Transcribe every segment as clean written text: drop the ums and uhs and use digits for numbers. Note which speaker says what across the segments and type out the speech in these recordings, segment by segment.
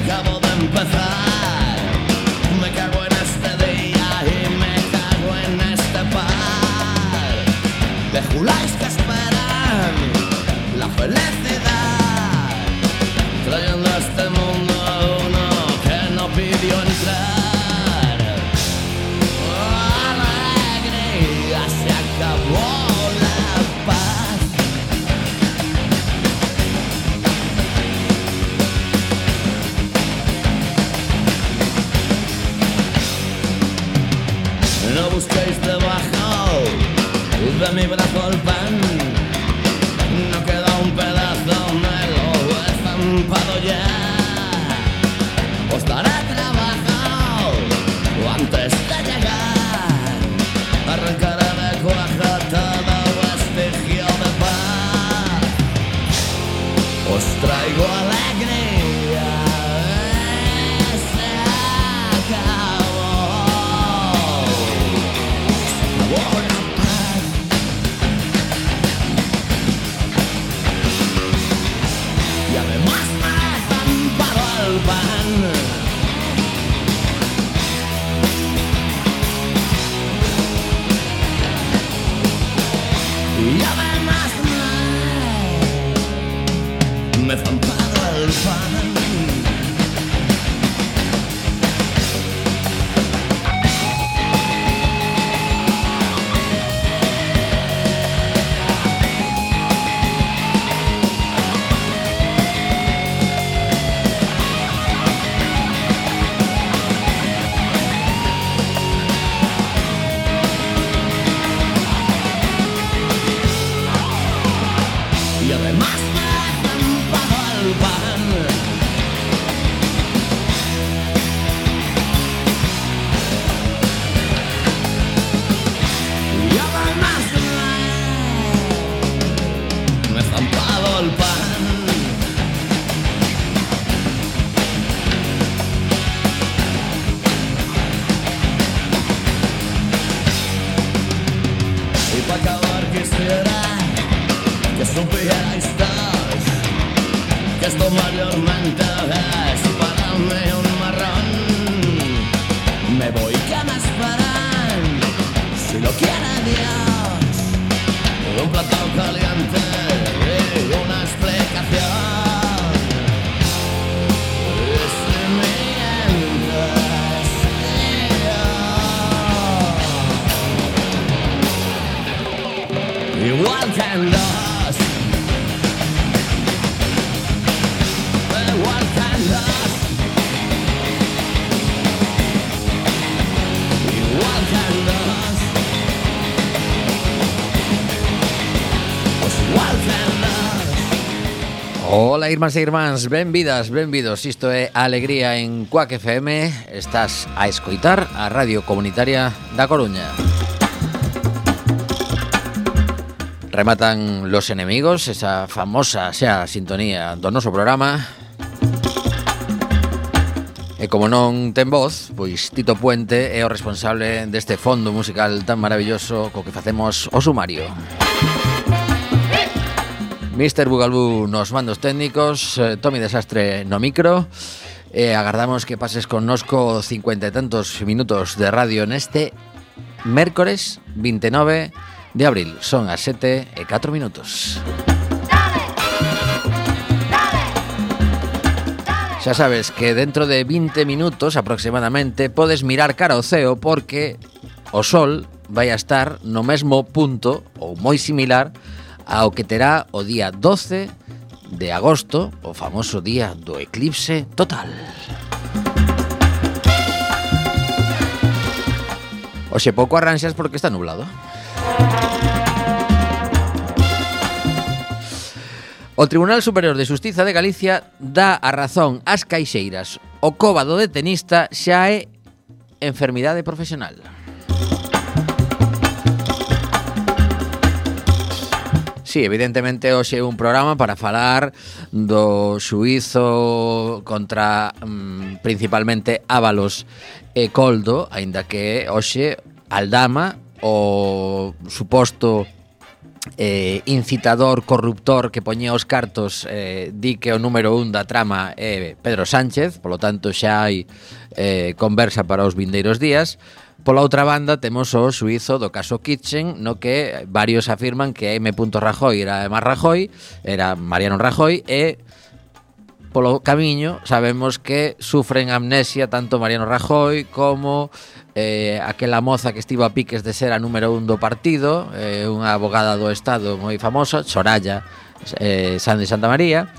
Speaker 1: acabo de empezar. Me cago en este día y me cago en este par de juláis que esperan la felicidad, trayendo a este mundo a uno que no pidió entrar. Alegría, se acabó la paz. No busquéis debajo de mi brazo el pan, no queda un pedazo, me lo he estampado ya. Os daré trabajo antes de llegar, arrancaré de cuajo todo vestigio de paz. Os traigo alegría, se acabó. Y además me he estampado el pan. Y además me he estampado el pan. Y además me he estampado el pan. Y además me he estampado el pan. Y para acabar quisiera que supierais todos que esto mayormente es para mí un marrón. Me voy, que me esperan, si lo quiere Dios, un plato caliente y una explicación. Y si mientes, igual que en los igual que en los igual que en los pues igual que en los.
Speaker 2: Ola, irmáns e irmáns, benvidas, benvidos. Isto é Alegría en Cuac FM. Estás a escoitar a Radio Comunitaria da Coruña. Rematan Los Enemigos, esa famosa xa sintonía do noso programa. E como non ten voz, pois Tito Puente é o responsable deste fondo musical tan maravilloso co que facemos o sumario. Mr. Bugalbú nos mandos técnicos, Tommy Desastre no micro, e agardamos que pases connosco 50 e tantos minutos de radio neste mércores 29 de abril. Son as 7:04. Xa sabes que dentro de 20 minutos aproximadamente podes mirar cara ao ceo, porque o sol vai a estar no mesmo punto ou moi similar ao que terá o día 12 de agosto, o famoso día do eclipse total. Oxe, pouco arranxas porque está nublado. O Tribunal Superior de Xustiza de Galicia dá a razón ás caixeiras. O cóbado de tenista xa é enfermidade profesional. Sí, evidentemente hoxe é un programa para falar do xuízo contra principalmente Ábalos e Coldo, aínda que hoxe Aldama, o suposto incitador, corruptor que poñía os cartos, di que o número 1 da trama é Pedro Sánchez, polo tanto xa hai conversa para os vindeiros días. Pola outra banda temos o suizo do caso Kitchen, no que varios afirman que M. Rajoy era máis Rajoy, era Mariano Rajoy, e polo camiño sabemos que sufren amnesia tanto Mariano Rajoy como aquela moza que estivo a piques de ser a número 1 do partido, unha abogada do Estado moi famosa, Soraya San de Santa María.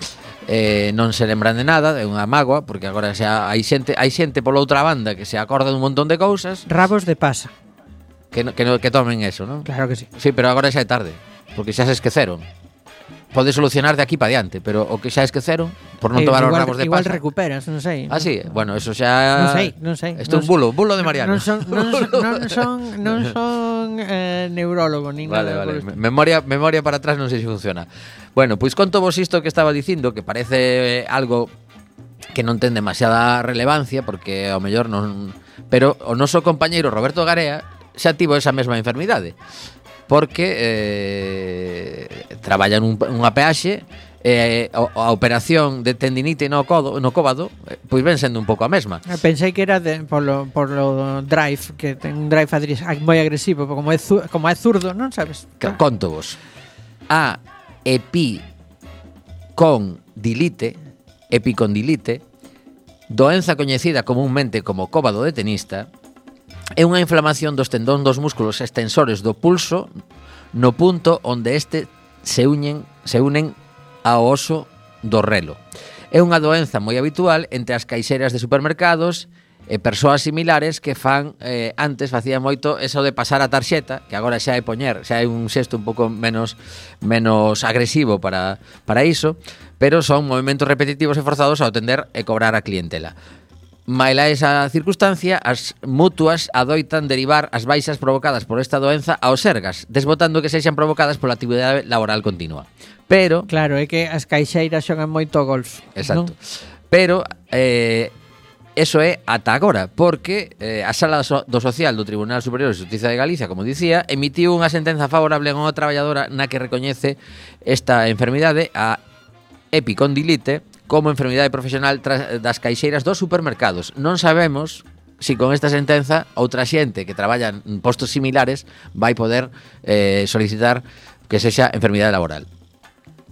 Speaker 2: Non se lembran de nada, é unha mágoa, porque agora xa hai xente pola outra banda que se acorda dun montón de cousas.
Speaker 3: Rabos de pasa.
Speaker 2: Que tomen eso, non?
Speaker 3: Claro que sí.
Speaker 2: Sí, pero agora xa é tarde, porque xa se esqueceron. Pode solucionar de aquí para diante, pero o que xa esqueceron por non tomar os rabos de pasa.
Speaker 3: Igual recuperas, non sei.
Speaker 2: Ah, sí, bueno, eso xa
Speaker 3: Non sei.
Speaker 2: Isto é un bulo de Mariano.
Speaker 3: Non son neurólogo nin nada.
Speaker 2: Vale. Memoria para atrás non sei se funciona. Bueno, pois conto vos isto que estaba dicindo, que parece algo que non ten demasiada relevancia, porque ao mellor non, pero o noso compañeiro Roberto Garea xa tivo esa mesma enfermidade. Porque traballa nunha peaxe, a operación de tendinite no cóbado, pois ven sendo un pouco a mesma.
Speaker 3: Pensei que era polo drive, que ten un drive moi agresivo, como é zurdo, non sabes?
Speaker 2: Conto vos. A epicondilite, doenza coñecida comúnmente como cóbado de tenista, é unha inflamación dos tendón dos músculos extensores do pulso no punto onde este se unen ao oso do relo. É unha doenza moi habitual entre as caixeras de supermercados e persoas similares que antes facían moito eso de pasar a tarxeta, que agora xa é poñer, xa é un xesto un pouco menos agresivo para iso, pero son movimentos repetitivos e forzados ao atender e cobrar a clientela. Maila esa circunstancia, as mutuas adoitan derivar as baixas provocadas por esta doenza aos sergas, desbotando que sexan provocadas pola actividade laboral continua. Pero
Speaker 3: claro, é que as caixeiras xogan moito golf.
Speaker 2: Exacto.
Speaker 3: ¿No?
Speaker 2: Pero eso é ata agora, porque a Sala do Social do Tribunal Superior de Xustiza de Galicia, como dicía, emitiu unha sentenza favorable a unha traballadora na que recoñece esta enfermidade, a epicondilite, como enfermidade profesional das caixeiras dos supermercados. Non sabemos si con esta sentenza outra xente que traballa en postos similares vai poder solicitar que sexa enfermidade laboral.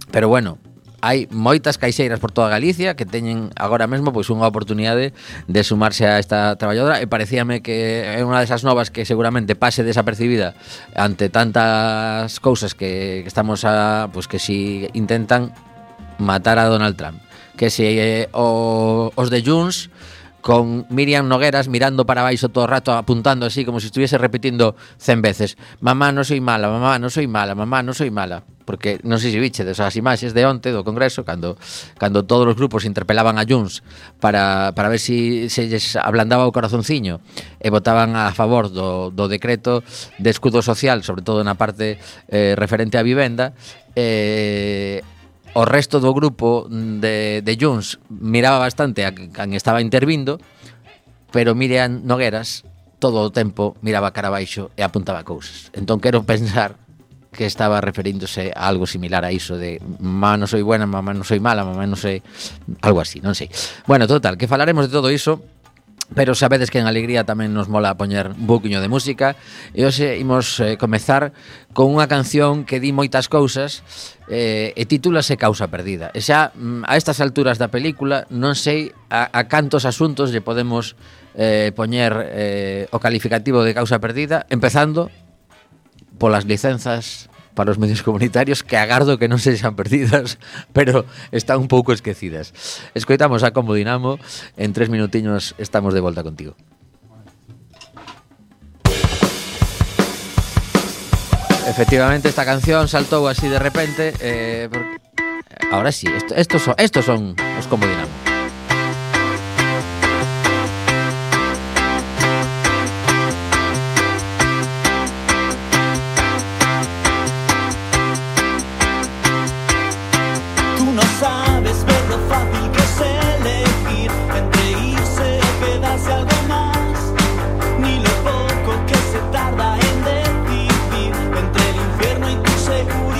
Speaker 2: Pero bueno, hai moitas caixeiras por toda Galicia que teñen agora mesmo pois unha oportunidade de sumarse a esta traballadora, e parecíame que é unha desas novas que seguramente pase desapercibida ante tantas cousas que estamos pois que si intentan matar a Donald Trump, que se os de Junts con Miriam Nogueras mirando para baixo todo o rato, apuntando así como se estuviese repetindo 100 veces: mamá, non soy mala, mamá, non soy mala, mamá, non soy mala. Porque non sei se viche desas imaxes de onte do Congreso, cando todos os grupos interpelaban a Junts para ver se lles ablandaba o corazonciño e votaban a favor do decreto de escudo social, sobre todo na parte referente á vivenda. O resto do grupo de Junts miraba bastante a quen estaba intervindo, pero Miriam Nogueras todo o tempo miraba cara abaixo e apuntaba cousas. Entón quero pensar que estaba referíndose a algo similar a iso de mamá non soy buena, mamá non soy mala, mamá non sei, algo así, non sei. Bueno, total, que falaremos de todo iso, pero sabedes que en Alegría tamén nos mola poñer un pouquiño de música, e hoxe imos comezar con unha canción que di moitas cousas e titúlase Causa Perdida. E xa a estas alturas da película non sei a cantos asuntos lle podemos poñer o calificativo de Causa Perdida, empezando polas licenzas para os medios comunitarios, que agardo que non sexan perdidas, pero están un pouco esquecidas. Escoitamos a Combo Dinamo, en 3 minutiños estamos de volta contigo. Efectivamente, esta canción saltou así de repente, ahora sí, estos son os Combo Dinamo.
Speaker 4: Ni lo poco que se tarda en decidir entre el infierno y tu seguridad.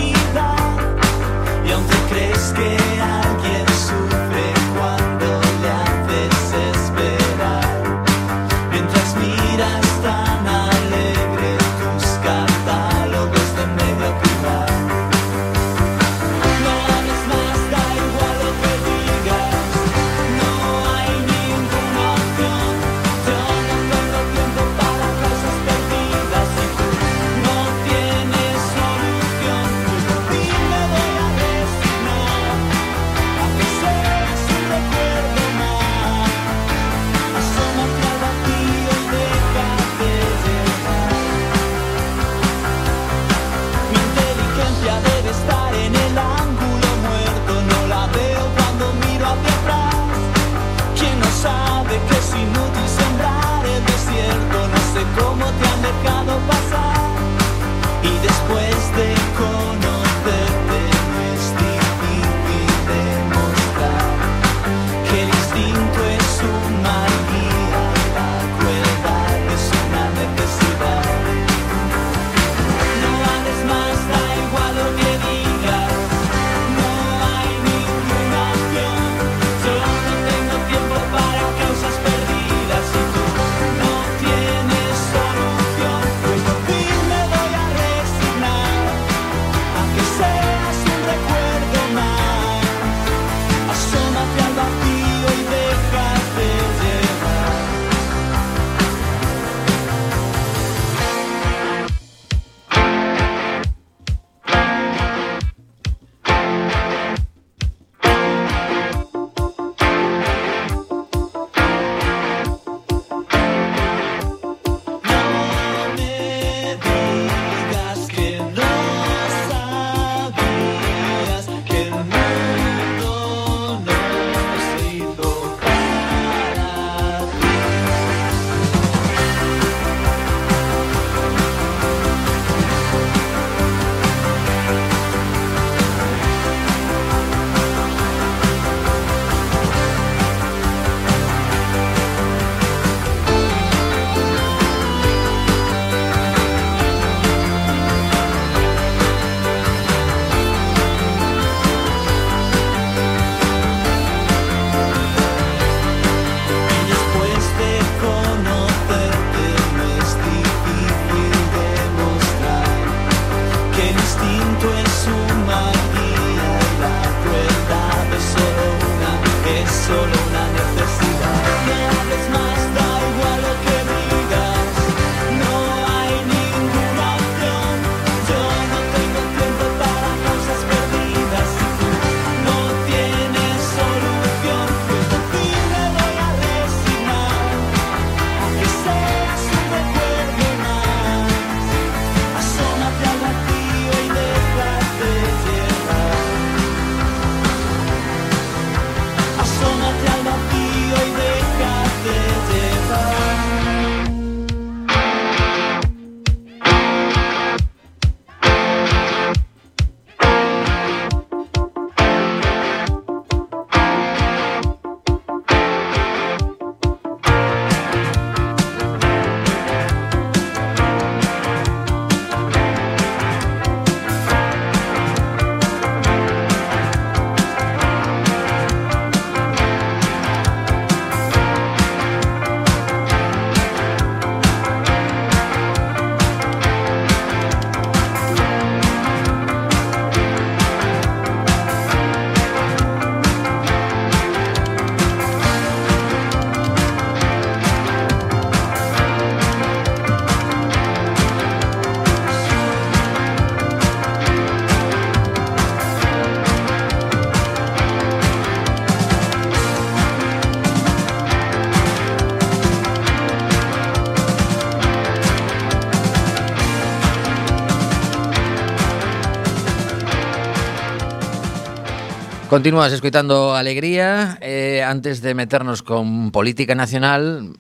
Speaker 2: Continúas escoitando Alegría. Antes de meternos con política nacional,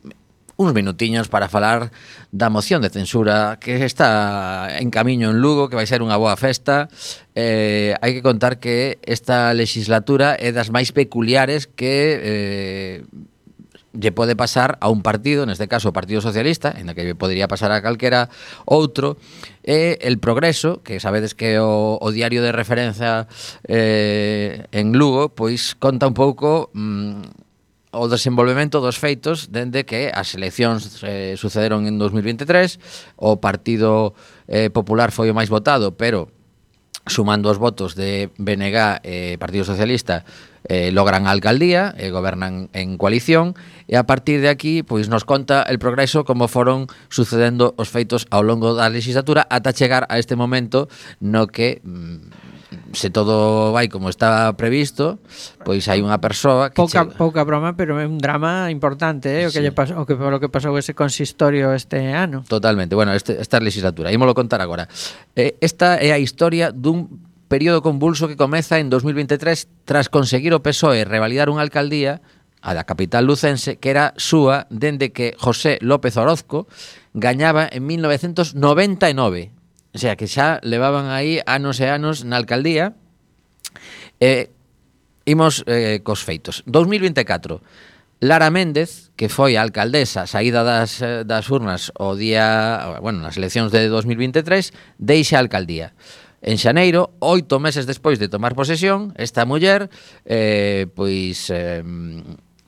Speaker 2: uns minutiños para falar da moción de censura que está en camiño en Lugo, que vai ser unha boa festa. Hai que contar que esta legislatura é das máis peculiares que lle pode pasar a un partido, neste caso o Partido Socialista, en que podría pasar a calquera outro, e el Progreso, que sabedes que o diario de referencia en Lugo, pois conta un pouco o desenvolvemento dos feitos dende que as eleccións sucederon en 2023, o Partido Popular foi o máis votado, pero sumando os votos de BNG e Partido Socialista logran a alcaldía e gobernan en coalición, e a partir de aquí pois nos conta el Progreso como foron sucedendo os feitos ao longo da legislatura ata chegar a este momento no que se todo vai como está previsto, pois hai unha persoa que
Speaker 3: pouca broma, pero é un drama importante, o que lle pasou, o que pasou ese consistorio este ano.
Speaker 2: Totalmente. Bueno, esta legislatura, ímolo contar agora. Esta é a historia dun período convulso que comeza en 2023 tras conseguir o PSOE revalidar unha alcaldía, a da capital lucense, que era súa dende que José López Orozco gañaba en 1999. O sea, que xa levaban aí anos e anos na alcaldía. Imos cos feitos. 2024, Lara Méndez, que foi a alcaldesa saída das urnas o día, bueno, nas eleccións de 2023, deixa a alcaldía. En xaneiro, 8 meses despois de tomar posesión, esta muller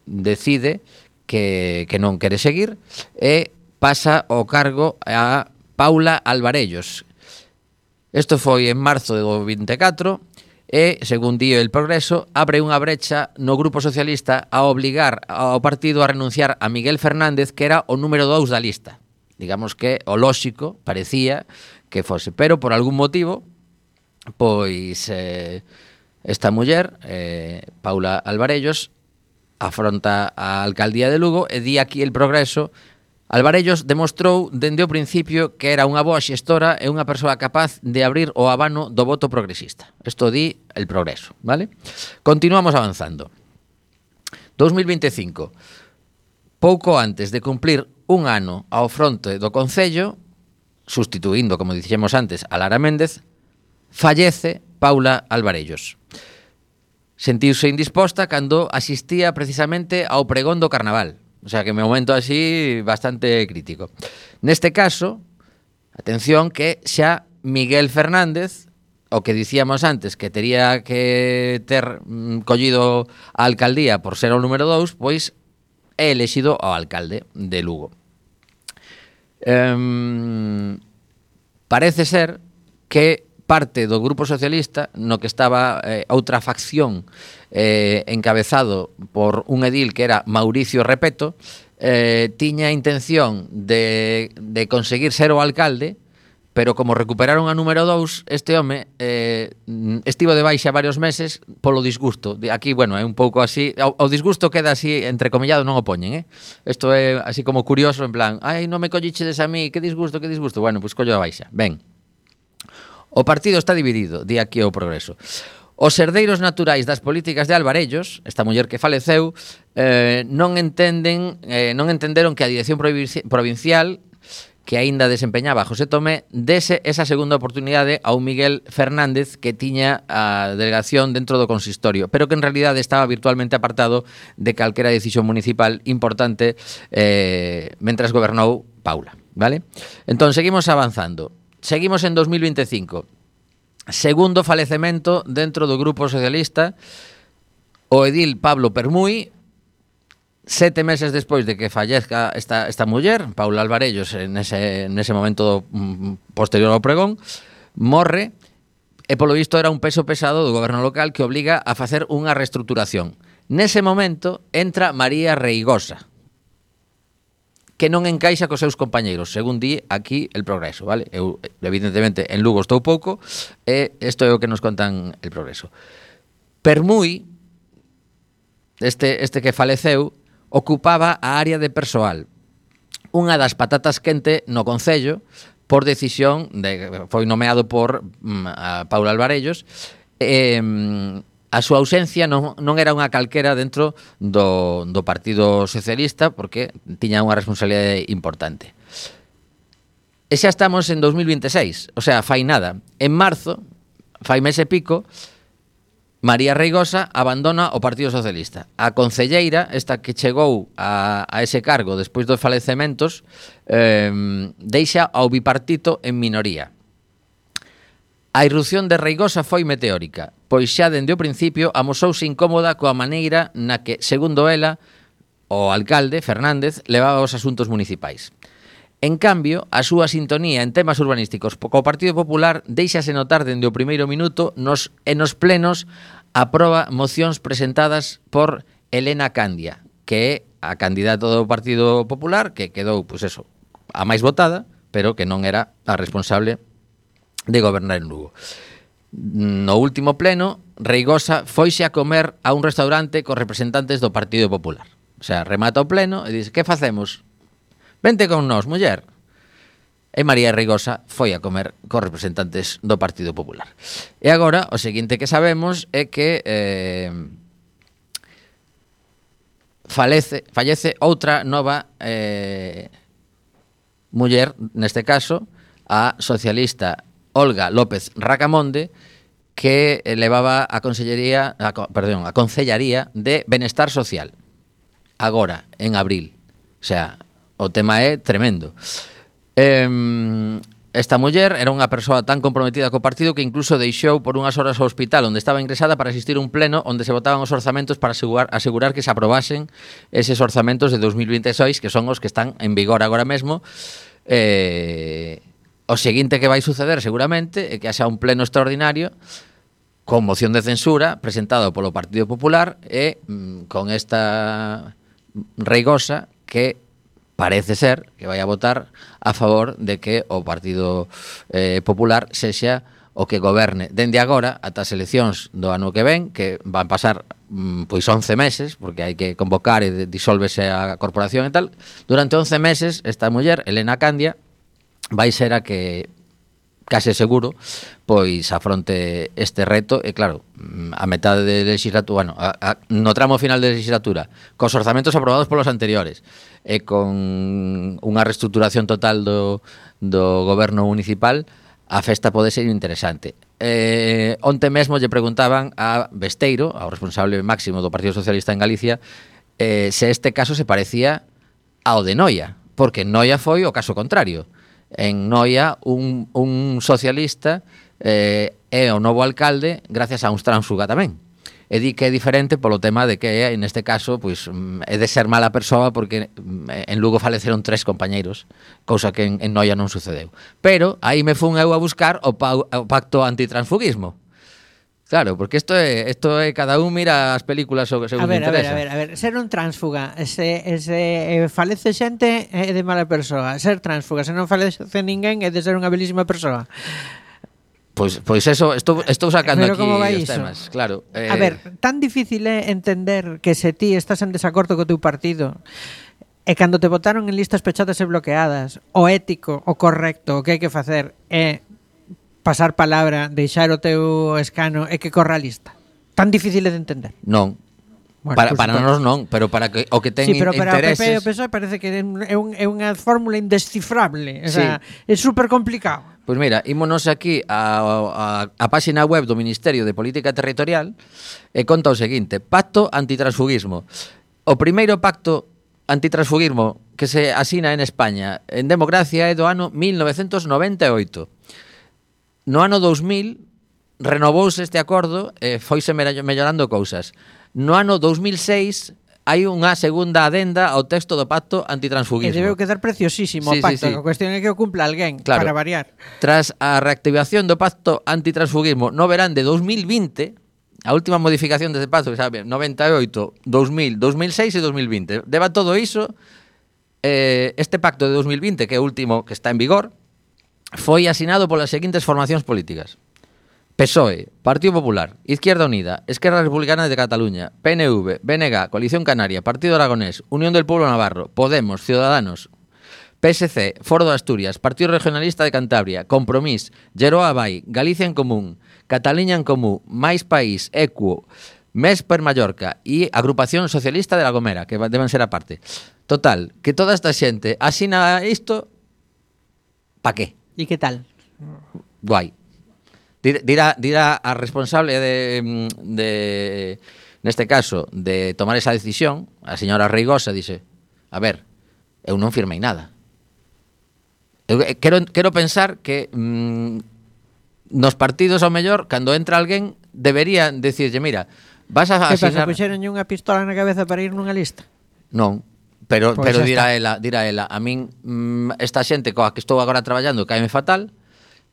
Speaker 2: decide que non quere seguir e pasa o cargo a Paula Alvarellos. Isto foi en marzo do 24 e, según di el Progreso, abre unha brecha no Grupo Socialista a obligar ao partido a renunciar a Miguel Fernández, que era o número 2 da lista. Digamos que o lóxico parecía que fose, pero por algún motivo pois esta muller, Paula Alvarellos, afronta a alcaldía de Lugo e di aquí el Progreso: Alvarellos demostrou dende o principio que era unha boa xestora e unha persoa capaz de abrir o abano do voto progresista. Isto di el Progreso, vale? Continuamos avanzando. 2025. Pouco antes de cumplir un ano ao fronte do Concello, sustituindo, como dixemos antes, a Lara Méndez, fallece Paula Alvarellos. Sentiuse indisposta cando asistía precisamente ao pregón do Carnaval. O sea, que me momento así bastante crítico. Neste caso, atención, que xa Miguel Fernández, o que dicíamos antes, que tería que ter collido a alcaldía por ser o número 2, pois é elexido ao alcalde de Lugo. Parece ser que parte do Grupo Socialista, no que estaba outra facción encabezado por un edil que era Mauricio Repeto, tiña intención de conseguir ser o alcalde, pero como recuperaron a número 2, este home estivo de baixa varios meses polo disgusto. Aquí, bueno, é un pouco así, o disgusto queda así entrecomillado, non o poñen, Isto é así como curioso, en plan, ai, non me collichedes a mí, que disgusto, que disgusto. Bueno, pois collo a baixa. Ben. O partido está dividido, di aquí o Progreso. Os herdeiros naturais das políticas de Alvarellos, esta muller que faleceu, non entenderon que a dirección provincial, que aínda desempeñaba José Tomé, dese esa segunda oportunidade a un Miguel Fernández que tiña a delegación dentro do consistorio, pero que en realidade estaba virtualmente apartado de calquera decisión municipal importante mentras gobernou Paula, vale? Entón, seguimos avanzando. Seguimos en 2025. Segundo falecemento dentro do Grupo Socialista, o edil Pablo Permuy, 7 meses despois de que fallezca esta muller, Paula Alvarellos, nese momento posterior ao pregón, morre, e polo visto era un peso pesado do goberno local que obliga a facer unha reestruturación. Nese momento entra María Reigosa, que non encaixa cos seus compañeiros, según di aquí el Progreso, vale? Eu, evidentemente, en Lugo estou pouco, e isto é o que nos contan el Progreso. Permuy, este que faleceu, ocupaba a área de persoal, unha das patatas quente no Concello, por decisión, foi nomeado por a Paula Alvarellos, a súa ausencia non era unha calquera dentro do Partido Socialista, porque tiña unha responsabilidade importante. E xa estamos en 2026, o sea, fai nada. En marzo, fai mes e pico, María Reigosa abandona o Partido Socialista. A concelleira, esta que chegou a ese cargo despois dos falecementos, deixa ao bipartito en minoría. A irrupción de Reigosa foi meteórica, pois xa dende o principio amosouse incómoda coa maneira na que, segundo ela, o alcalde, Fernández, levaba os asuntos municipais. En cambio, a súa sintonía en temas urbanísticos co Partido Popular deixase notar dende o primeiro minuto nos plenos aproba mocións presentadas por Elena Candia, que é a candidata do Partido Popular, que quedou, pois eso, a máis votada, pero que non era a responsable de gobernar en Lugo. No último pleno, Reigosa foise a comer a un restaurante cos representantes do Partido Popular. O sea, remata o pleno e dice, que facemos? Vente con nós, muller. E María Reigosa foi a comer cos representantes do Partido Popular. E agora, o seguinte que sabemos é que fallece outra nova muller, neste caso, a socialista Olga López Racamonde, que levaba a Concellaría de Benestar Social. Agora, en abril. O sea, o tema é tremendo. Esta muller era unha persoa tan comprometida co partido que incluso deixou por unhas horas o hospital onde estaba ingresada para asistir a un pleno onde se votaban os orzamentos para asegurar que se aprobasen eses orzamentos de 2026, que son os que están en vigor agora mesmo. O seguinte que vai suceder seguramente é que haxa un pleno extraordinario con moción de censura presentado polo Partido Popular e con esta Reigosa que parece ser que vai a votar a favor de que o Partido Popular sexa o que goberne dende agora ata as eleccións do ano que ven, que van pasar pois 11 meses, porque hai que convocar e disólvese a corporación e tal. Durante 11 meses esta muller, Elena Candia, vai ser a que case seguro pois afronte este reto e claro, a metade de legislatura, bueno, no tramo final de legislatura, cos orzamentos aprobados polos anteriores e con unha reestructuración total do goberno municipal, a festa pode ser interesante. Onte mesmo lle preguntaban a Besteiro, ao responsable máximo do Partido Socialista en Galicia, se este caso se parecía ao de Noia, porque Noia foi o caso contrario. En Noia, un socialista é o novo alcalde gracias a un tránsfuga tamén. E di que é diferente polo tema de que, neste caso, pois é de ser mala persoa porque en Lugo faleceron 3 compañeiros, cousa que en Noia non sucedeu. Pero aí me fun eu a buscar o pacto antitransfugismo. Claro, porque isto é cada un mira as películas según interesa.
Speaker 3: A ver, ser un tránsfuga, se falece xente é de mala persoa. Ser tránsfuga, se non falece ninguén é de ser unha belísima persoa.
Speaker 2: Pois eso, estou sacando aquí os
Speaker 3: iso?
Speaker 2: temas, claro.
Speaker 3: A ver, tan difícil é entender que se ti estás en desacordo co teu partido e cando te votaron en listas pechadas e bloqueadas, o ético, o correcto, o que hai que facer é pasar palabra, deixar o teu escano e que corra a lista. Tan difícil é de entender.
Speaker 2: Non. Bueno, para nós non, pero para que o que ten intereses... Sí, pero para o PP e o PSOE parece que
Speaker 3: é unha fórmula indescifrable. O sea, é super complicado.
Speaker 2: Pois mira, ímonos aquí a páxina web do Ministerio de Política Territorial e conta o seguinte: Pacto Antitransfugismo. O primeiro pacto antitransfugismo que se asina en España en democracia é do ano 1998. No ano 2000 renovouse este acordo e foise mellorando cousas. No ano 2006 hai unha segunda adenda ao texto do pacto antitransfugismo.
Speaker 3: E debeu quedar preciosísimo o pacto. A cuestión é que o cumpla alguén, claro, para variar.
Speaker 2: Tras a reactivación do pacto antitransfugismo no verán de 2020, a última modificación deste pacto, que sabe, 98, 2000, 2006 e 2020. Deba todo iso, este pacto de 2020, que é o último que está en vigor, foi asinado polas seguintes formacións políticas: PSOE, Partido Popular, Izquierda Unida, Esquerra Republicana de Cataluña, PNV, BNG, Coalición Canaria, Partido Aragonés, Unión del Pueblo Navarro, Podemos, Ciudadanos, PSC, Foro de Asturias, Partido Regionalista de Cantabria, Compromís, Geroa Vai, Galicia en Común, Cataluña en Común, Máis País, Equo, MES per Mallorca e Agrupación Socialista de La Gomera, que deben ser aparte. Total, que toda esta xente asina isto, pa qué?
Speaker 3: E que tal?
Speaker 2: Guai. Dirá a responsable de neste caso, de tomar esa decisión, a señora Reigosa dice, a ver, eu non firmei nada. Eu quero pensar que nos partidos, ao mellor, cando entra alguén, deberían decirlle, mira, vas a
Speaker 3: que
Speaker 2: asignar...
Speaker 3: pasa, puxeron unha pistola na cabeza para ir nunha lista?
Speaker 2: Non, pero
Speaker 3: Pois
Speaker 2: dirá ela, a min esta xente coa que estou agora traballando caeme fatal.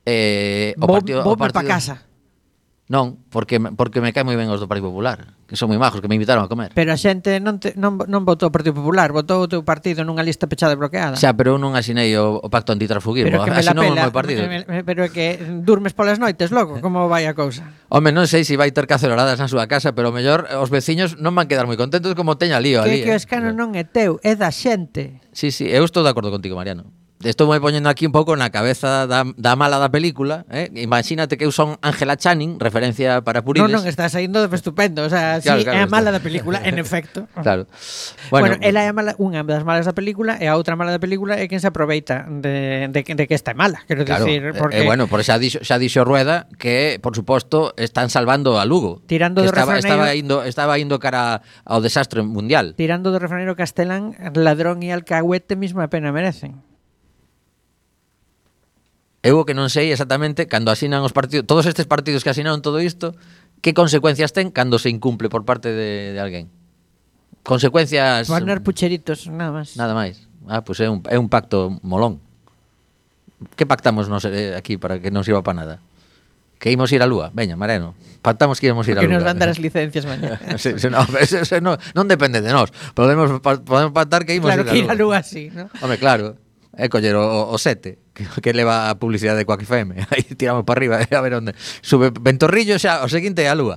Speaker 2: O partido
Speaker 3: para casa.
Speaker 2: Non, porque me cae moi ben os do Partido Popular, que son moi majos, que me invitaron a comer.
Speaker 3: Pero a xente non votou o Partido Popular, votou o teu partido nunha lista pechada e bloqueada.
Speaker 2: Xa, pero eu non asinei o pacto antitransfugismo,
Speaker 3: pero que me la
Speaker 2: asinou o
Speaker 3: pela,
Speaker 2: meu partido.
Speaker 3: Pero é que durmes polas noites logo, como vai a cousa?
Speaker 2: Home, non sei se vai ter caceroradas na súa casa, pero o mellor os veciños non van quedar moi contentos como teña lío ali.
Speaker 3: Que o escano non é teu, é da xente.
Speaker 2: Sí, eu estou de acordo contigo, Mariano. Estou moi poñendo aquí un pouco na cabeza da mala da película, Imagínate que eu son Ángela Channing, referencia para puriles.
Speaker 3: Non, está saindo estupendo, o sea, claro, sí, claro, é a mala da película, en efecto.
Speaker 2: Claro.
Speaker 3: Bueno, ela é a mala, unha das malas da película, e a outra mala da película é quen se aproveita de que esta é mala, quero dicir, porque
Speaker 2: bueno, por xa dixo Rueda que, por suposto, están salvando a Lugo.
Speaker 3: Tirando do refraneiro,
Speaker 2: estaba indo cara ao desastre mundial.
Speaker 3: Tirando do refraneiro castelán, ladrón e alcahuete mesma pena merecen.
Speaker 2: Eu o que non sei exactamente cando asinan os partidos, todos estes partidos que asinaron todo isto, que consecuencias ten cando se incumple por parte de alguén. Consecuencias...
Speaker 3: Poner pucheritos, nada máis.
Speaker 2: Nada máis. Pois é un pacto molón. Que pactamos aquí para que non sirva para nada? Que ímos ir á Lúa. Veña, Mariano, pactamos que ímos ir á Lúa.
Speaker 3: Que nos van dar as licencias mañá.
Speaker 2: non depende de nós. Podemos pactar que ímos
Speaker 3: ir á Lúa. Claro, que ir á Lúa sí, ¿no?
Speaker 2: Home, claro. É coller o 7 que leva a publicidade de Quack FM. Aí tiramos para arriba a ver onde sube Ventorrillo xa, o seguinte é a Lúa.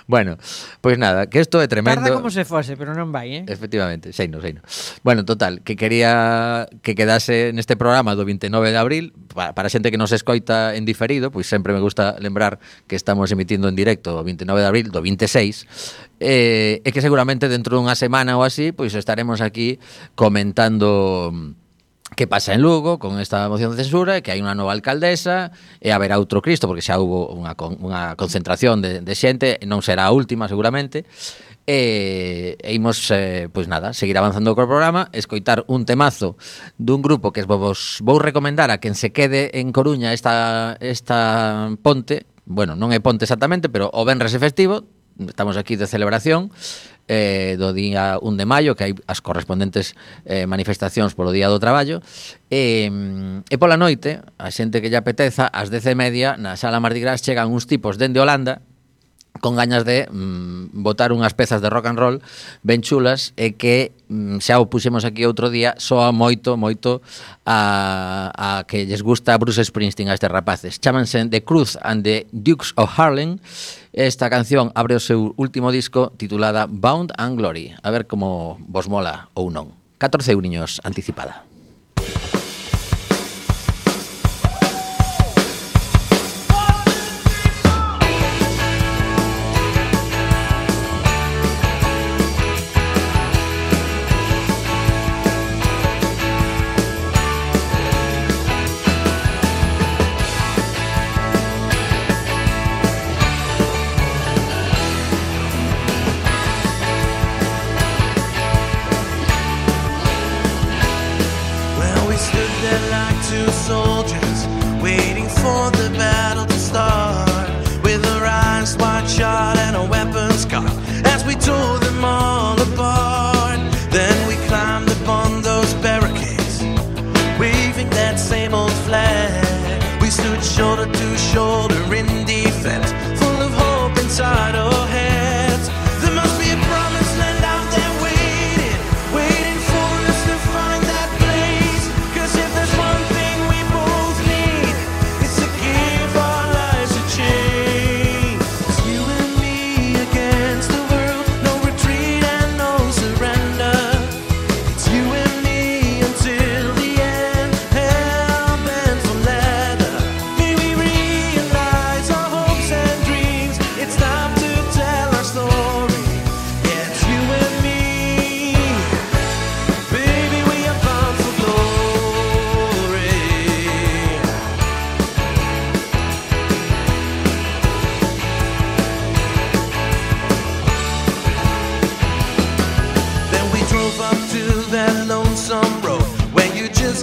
Speaker 2: Bueno, pois nada, que isto é tremendo.
Speaker 3: Tarda como se fose, pero non vai,
Speaker 2: Efectivamente, seino. Bueno, total, que quería que quedase neste programa do 29 de abril para xente que nos escoita en diferido, pois sempre me gusta lembrar que estamos emitindo en directo o 29 de abril do 26 e que seguramente dentro dunha semana ou así, pois estaremos aquí comentando que pasa en Lugo con esta moción de censura e que hai unha nova alcaldesa e haberá outro Cristo porque xa hubo unha concentración de xente, non será a última seguramente e imos, pois nada, seguir avanzando co programa, escoitar un temazo dun grupo que vos vou recomendar a quen se quede en Coruña esta ponte, bueno, non é ponte exactamente, pero o venres é festivo, estamos aquí de celebración do día 1 de maio, que hai as correspondentes manifestacións polo Día do Traballo e pola noite, a xente que lle apeteza, ás 10:30 na Sala Mardi Gras chegan uns tipos dende Holanda con gañas de botar unhas pezas de rock and roll ben chulas e que xa o puxemos aquí outro día, soa moito a que lles gusta Bruce Springsteen a estes rapaces. Chámanse The Cruz and the Dukes of Harlem. Esta canción abre o seu último disco titulada Bound and Glory. A ver como vos mola ou non. 14 euriños anticipada.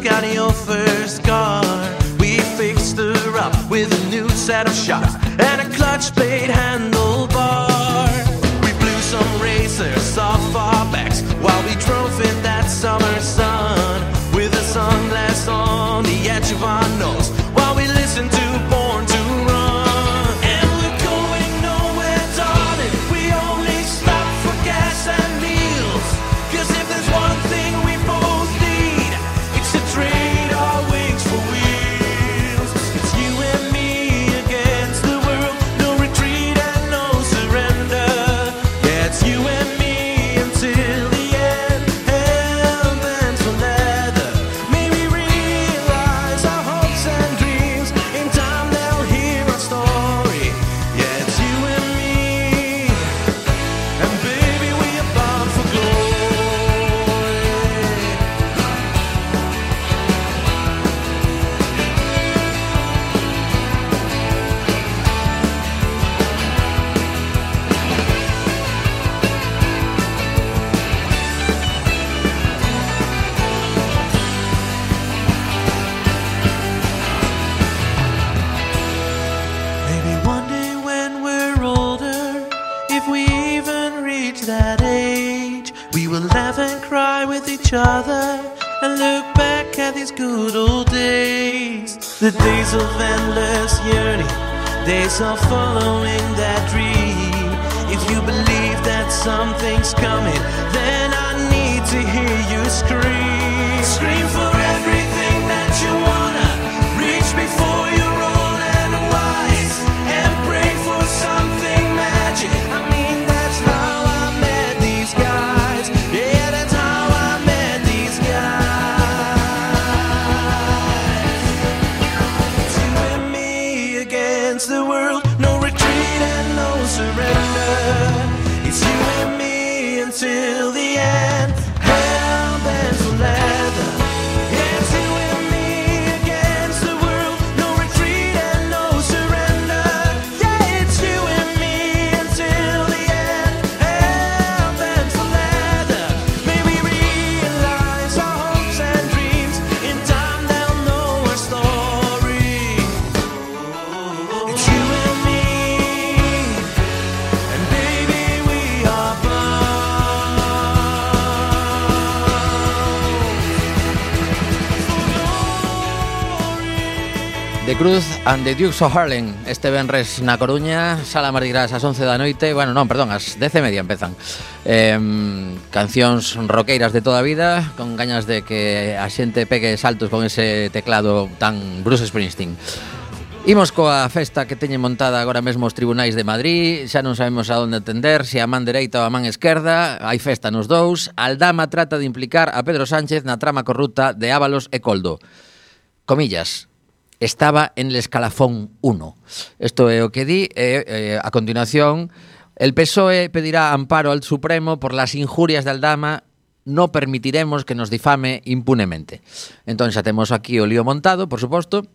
Speaker 4: got your first car. We fixed her up with a new set of shocks and a clutch plate handlebar. We blew some racers off our backs while we drove in that summer sun, with a sunglass on the edge of our nose while we listened to Born to Run. And we're going nowhere, darling. We only stop for gas and meals. 'Cause if there's one thing we both need, it's to trade our wings for wheels. It's you and me against the world, no retreat and no surrender. Yeah, it's you and me until the end, hell bent for leather. Maybe realize our hopes and dreams. In time they'll hear our story. Yeah, it's you and me, and baby we are bound for glory. Maybe one day when we're older, if we even reach that age, we will laugh and cry with each other and look back at these good old days. The days of endless yearning, days of following that dream. If you believe that something's coming, then I need to hear you scream. Scream for everything that you wanna reach before you're old and wise, and pray for something magic. I mean, that's how I met these guys. Yeah, that's how I met these guys. It's you and me against the world, no retreat and no surrender. It's you and me until the end, hell bent for leather. Yeah, it's you and me against the world, no retreat and no surrender. Yeah, it's you and me until the end, hell bent for leather. Maybe realize our hopes and dreams. In time they'll know our story. It's you and me, and baby we are bound for glory.
Speaker 2: The Cruz and the Dukes of Harlem este venres na Coruña, Sala Mardi Gras ás 11 da noite. Bueno, non, perdón, ás 10:30 empezan. Cancións roqueiras de toda a vida, con gañas de que a xente pegue saltos con ese teclado tan Bruce Springsteen. Imos coa festa que teñen montada agora mesmo os tribunais de Madrid. Xa non sabemos a onde atender, se a man dereita ou a man esquerda. Hai festa nos dous. Aldama trata de implicar a Pedro Sánchez na trama corrupta de Ábalos e Coldo. Comillas, estaba en el escalafón 1. Isto é o que di. A continuación, el PSOE pedirá amparo al Supremo por las injurias de Aldama. No permitiremos que nos difame impunemente. Entón xa temos aquí o lío montado, por suposto.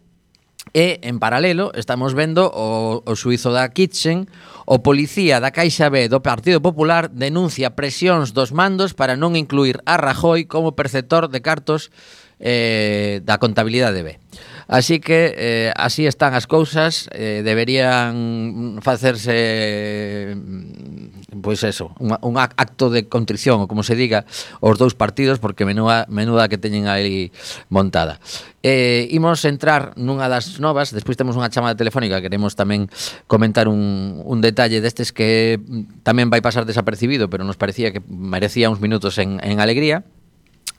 Speaker 2: E, en paralelo, estamos vendo o xuízo da Kitchen. O policía da Caixa B do Partido Popular denuncia presións dos mandos para non incluir a Rajoy como perceptor de cartos da contabilidade B. Así que así están as cousas. Deberían facerse pois eso, un acto de contrición, ou como se diga, os dous partidos, porque menuda que teñen aí montada. Imos entrar nunha das novas. Despois temos unha chamada telefónica. Queremos tamén comentar un detalle destes que tamén vai pasar desapercibido, pero nos parecía que merecía uns minutos en alegría.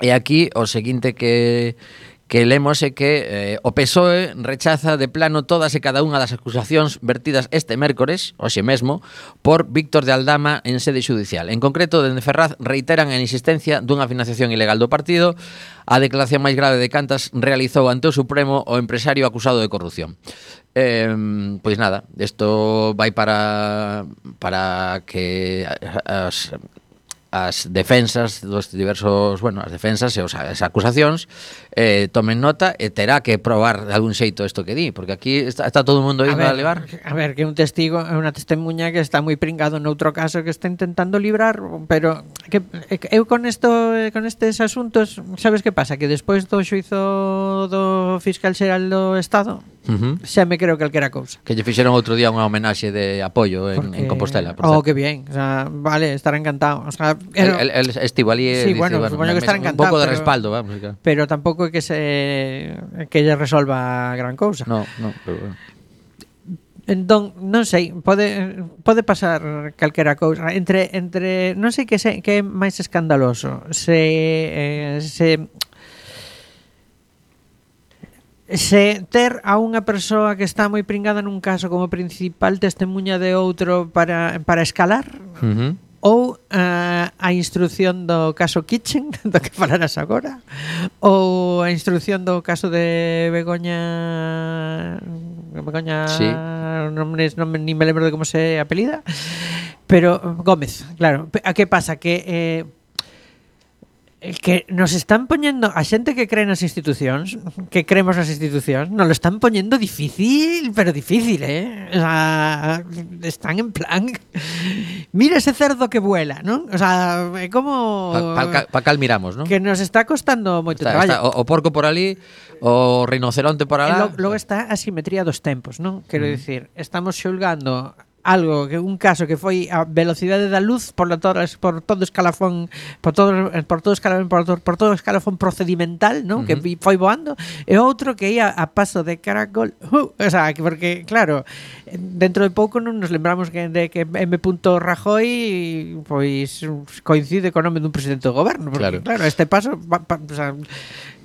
Speaker 2: E aquí o seguinte que lemos é que o PSOE rechaza de plano todas e cada unha das acusacións vertidas este mércores, hoxe mesmo, por Víctor de Aldama en sede xudicial. En concreto, dende Ferraz reiteran a insistencia dunha financiación ilegal do partido. A declaración máis grave de cantas realizou ante o Supremo o empresario acusado de corrupción. Pois nada, isto vai para que as defensas dos diversos, as defensas e as acusacións tomen nota e terá que probar de algún xeito isto que di, porque aquí está todo o mundo indo a levar.
Speaker 3: A ver, que un testigo é unha testemunha que está moi pringado noutro caso que está intentando librar, pero que eu con estes asuntos, sabes que pasa? Que despois do xuizo do fiscal xeral do Estado, xa me creo calquera cousa.
Speaker 2: Que lle fixeron outro día unha homenaxe de apoio en Compostela, por certo.
Speaker 3: Que bien, o sea, vale, estará encantado. O sea,
Speaker 2: el estivo ali
Speaker 3: sí, supoño que estará encantado.
Speaker 2: Un pouco de respaldo, vamos.
Speaker 3: Pero tampouco é que lle resolva gran cousa.
Speaker 2: No, pero bueno.
Speaker 3: Entón, non sei, pode pasar calquera cousa entre non sei que é máis escandaloso. Se ter a unha persoa que está moi pringada nun caso como principal testemunha de outro para escalar, ou a instrucción do caso Kitchen, do que falarás agora, ou a instrucción do caso de Begoña,
Speaker 2: sí.
Speaker 3: non me lembro de como se apelida, pero Gómez, claro. A que pasa? Que nos están poñendo a xente que cree nas institucións, que creemos nas institucións, nos lo están poñendo difícil, pero difícil, o sea, están en plan mira ese cerdo que vuela, ¿no? O sea, é como
Speaker 2: pa cal miramos, ¿no?
Speaker 3: Que nos está costando moito traballo.
Speaker 2: O porco por ali, o rinoceronte por alá.
Speaker 3: Logo está a simetría dos tempos, ¿no? Quero dicir, estamos xulgando algo, que un caso que foi a velocidade da luz por todo escalafón procedimental, ¿no? Que foi voando, e outro que ia a paso de caracol, o sea, porque claro, dentro de pouco non nos lembramos que M. Rajoy pois coincide co nome dun presidente do goberno, porque claro este paso o sea,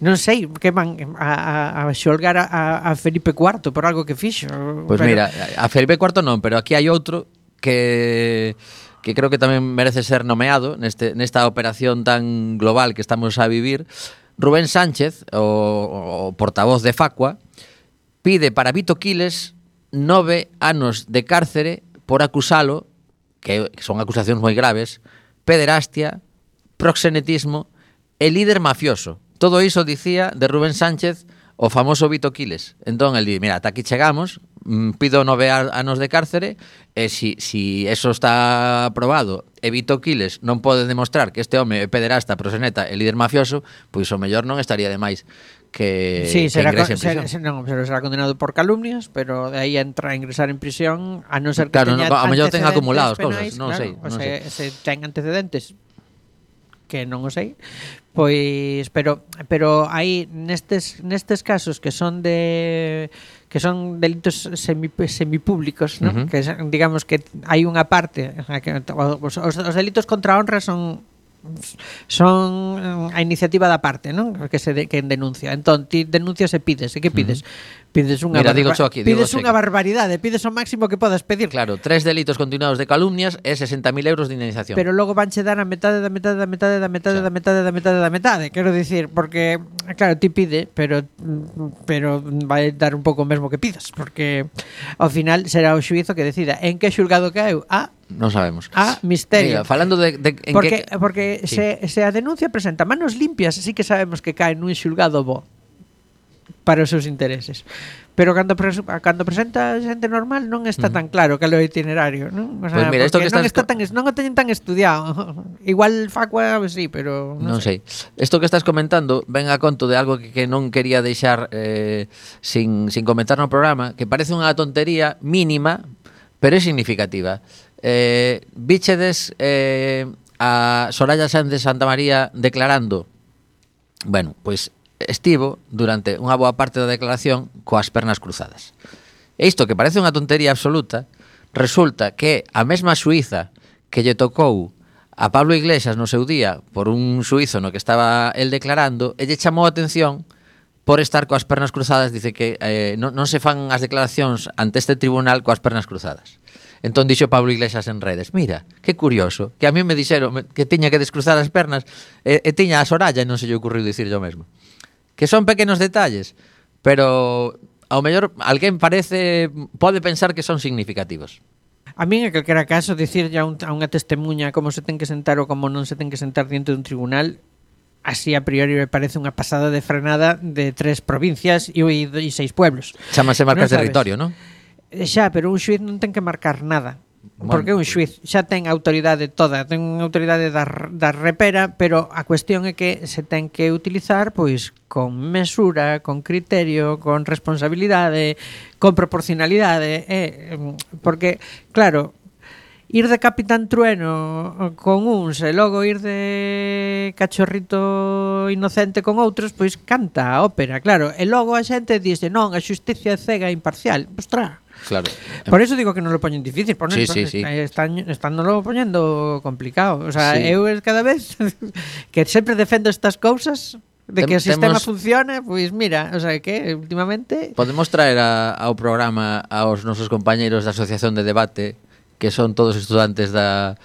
Speaker 3: non sei que van a xolgar a Felipe IV por algo que fixo.
Speaker 2: Pois mira, a Felipe IV non, pero aquí hai outro que creo que tamén merece ser nomeado nesta operación tan global que estamos a vivir. Rubén Sánchez, o portavoz de Facua, pide para Vito Quiles 9 anos de cárcere por acusalo, que son acusacións moi graves, pederastia, proxenetismo e líder mafioso. Todo iso dicía de Rubén Sánchez o famoso Vito Quiles. Entón, el di, mira, ata aquí chegamos, pido 9 anos de cárcere, e si eso está aprobado e Vito Quiles non pode demostrar que este home é pederasta, proxeneta e líder mafioso, pois o mellor non estaría de máis que ingrese en prisión.
Speaker 3: Pero será condenado por calumnias, pero de aí entra a ingresar en prisión, a non ser que teña
Speaker 2: a mellor ten acumulados
Speaker 3: penais,
Speaker 2: cousas, non sei.
Speaker 3: Se ten antecedentes, que non o sei, pois pero aí nestes casos que son delitos semipúblicos, ¿no? Que digamos que hai unha parte que os delitos contra a honra son a iniciativa da parte, ¿no? Que denuncia. Entón, ti denuncias e pides. E que pides? Pides unha barbaridade, pides o máximo que podas pedir.
Speaker 2: Claro, 3 delitos continuados de calumnias e 60.000 euros de indemnización.
Speaker 3: Pero logo vanche dar a metade. Quero dicir, porque claro, ti pide, pero vai dar un pouco o mesmo que pidas, porque ao final será o xuízo que decida en que xulgado caeu.
Speaker 2: Non sabemos.
Speaker 3: Misterio.
Speaker 2: Mira, falando de en
Speaker 3: porque
Speaker 2: sí.
Speaker 3: se a denuncia presenta manos limpias, sí que sabemos que cae nun xulgado bo para os seus intereses. Pero cando presenta xente normal non está tan claro cal é o itinerario, non? O sea,
Speaker 2: pues mira, isto que
Speaker 3: non o teñen tan estudiado. Igual Facua sí, pero non sei.
Speaker 2: Isto que estás comentando ven a conto de algo que non quería deixar sin comentar no programa, que parece unha tontería mínima, pero é significativa. Víchedes a Soraya Sáenz de Santamaría declarando, bueno, pois estivo durante unha boa parte da declaración coas pernas cruzadas. E isto que parece unha tontería absoluta, resulta que a mesma xuíza que lle tocou a Pablo Iglesias no seu día por un xuízo no que estaba el declarando, e lle chamou a atención por estar coas pernas cruzadas. Dice que non se fan as declaracións ante este tribunal coas pernas cruzadas. Entón dixo Pablo Iglesias en redes, mira, que curioso, que a mí me dixeron que tiña que descruzar as pernas e tiña a Soraya e non se lle ocurriu dicir yo mesmo. Que son pequenos detalles, pero ao mellor alguén pode pensar que son significativos.
Speaker 3: A min, en calquera caso, dicirlle a unha testemunha como se ten que sentar ou como non se ten que sentar diante dun tribunal, así a priori me parece unha pasada de frenada de 3 provincias e 6 pueblos.
Speaker 2: Chámase marca
Speaker 3: Non sabes?
Speaker 2: territorio, non?
Speaker 3: Xa, pero un xuiz non ten que marcar nada. Porque un xuiz xa ten autoridade toda, ten unha autoridade da repera, pero a cuestión é que se ten que utilizar pois con mesura, con criterio, con responsabilidade, con proporcionalidade, porque claro, ir de Capitán Trueno con uns e logo ir de cachorrito inocente con outros, pois canta a ópera, claro, e logo a xente dice, non, a xusticia é cega e imparcial. Ostras.
Speaker 2: Claro.
Speaker 3: Por eso digo que non lo poñen difícil,
Speaker 2: Sí.
Speaker 3: Están lo poñendo complicado. O sea,
Speaker 2: Sí.
Speaker 3: eu cada vez que sempre defendo estas cousas de que o sistema
Speaker 2: Temos-
Speaker 3: funciona, pois mira, o sea, que últimamente
Speaker 2: Podemos traer ao programa aos nosos compañeiros da Asociación de Debate, que son todos estudantes da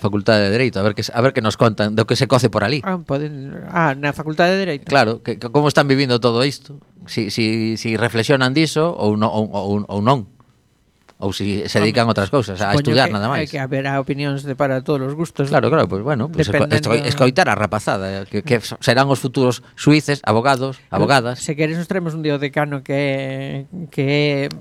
Speaker 2: Facultade de Dereito, a ver que nos contan do que se coce por ali.
Speaker 3: na Facultade de Dereito.
Speaker 2: Claro, que como están vivindo todo isto? Si reflexionan diso ou non. Ou si se dedican a outras cousas, a
Speaker 3: Supoño
Speaker 2: estudiar
Speaker 3: que
Speaker 2: nada máis.
Speaker 3: hai que haberá opinións para todos os gustos.
Speaker 2: Claro, pues bueno, pues
Speaker 3: Dependendo-
Speaker 2: escoitar a rapazada, que serán os futuros xuíces, abogadas.
Speaker 3: Se queres nos traemos un día o decano que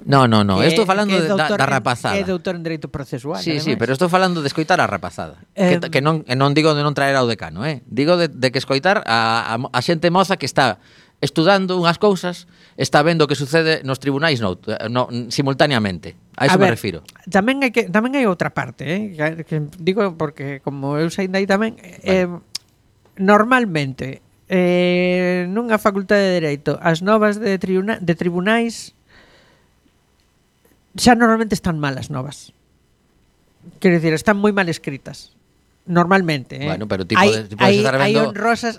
Speaker 2: No,
Speaker 3: que-
Speaker 2: estou falando
Speaker 3: que é
Speaker 2: da
Speaker 3: doutor
Speaker 2: rapazada.
Speaker 3: Que é doutor en Dereito Procesual.
Speaker 2: Sí,
Speaker 3: ademais.
Speaker 2: pero estou falando de escoitar a rapazada. Que non digo de non traer ao decano, digo de que escoitar a xente moza que está estudando unhas cousas, está vendo o que sucede nos tribunais simultaneamente. A iso me refiro.
Speaker 3: Tamén hai outra parte, que digo porque como eu sei aí tamén, normalmente nunha facultade de Dereito as novas de tribunais xa normalmente están mal as novas. Quero dicir, están moi mal escritas. Normalmente,
Speaker 2: Bueno, pero ti podes estar vendo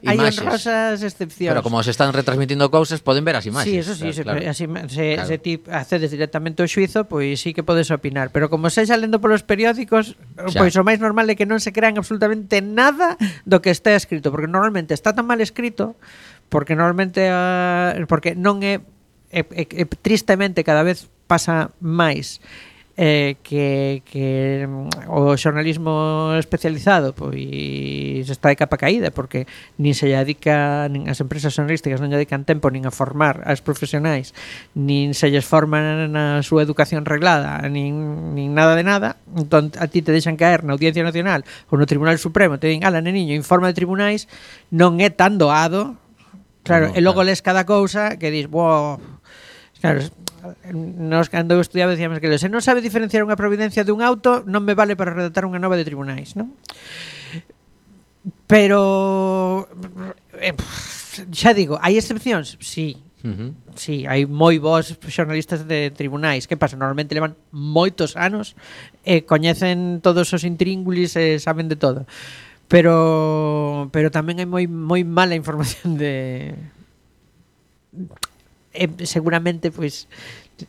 Speaker 3: hai
Speaker 2: imaxes.
Speaker 3: honrosas excepcións.
Speaker 2: Pero como se están retransmitindo cousas, poden ver as
Speaker 3: Sí,
Speaker 2: imaxes.
Speaker 3: eso sí,
Speaker 2: claro.
Speaker 3: se ti accedes directamente ao xuizo, pois sí que podes opinar, pero como sexa lendo polos periódicos,
Speaker 2: Xa.
Speaker 3: pois o máis normal é que non se crean absolutamente nada do que está escrito, porque normalmente está tan mal escrito, porque normalmente porque non é tristemente cada vez pasa máis que o xornalismo especializado pois está de capa caída porque nin se lle dedica, nin as empresas xornalísticas non lle dedican tempo nin a formar as profesionais, nin se lles forman na súa educación reglada, nin nada de nada. Entón a ti te deixan caer na Audiencia Nacional ou no Tribunal Supremo, te din, ala, neniño, informa de tribunais, non é tan doado. Claro,
Speaker 2: No,
Speaker 3: e logo
Speaker 2: claro.
Speaker 3: les cada cousa que dis, wow. Claro, nos cando eu estudiaba decíamos que se non sabe diferenciar unha providencia dun auto non me vale para redactar unha nova de tribunais, non? Pero xa digo, hai excepcións? Sí. Sí, hai moi bons xornalistas de tribunais. Que pasa? Normalmente levan moitos anos e coñecen todos os intríngulis e saben de todo. Pero tamén hai moi mala información de seguramente pois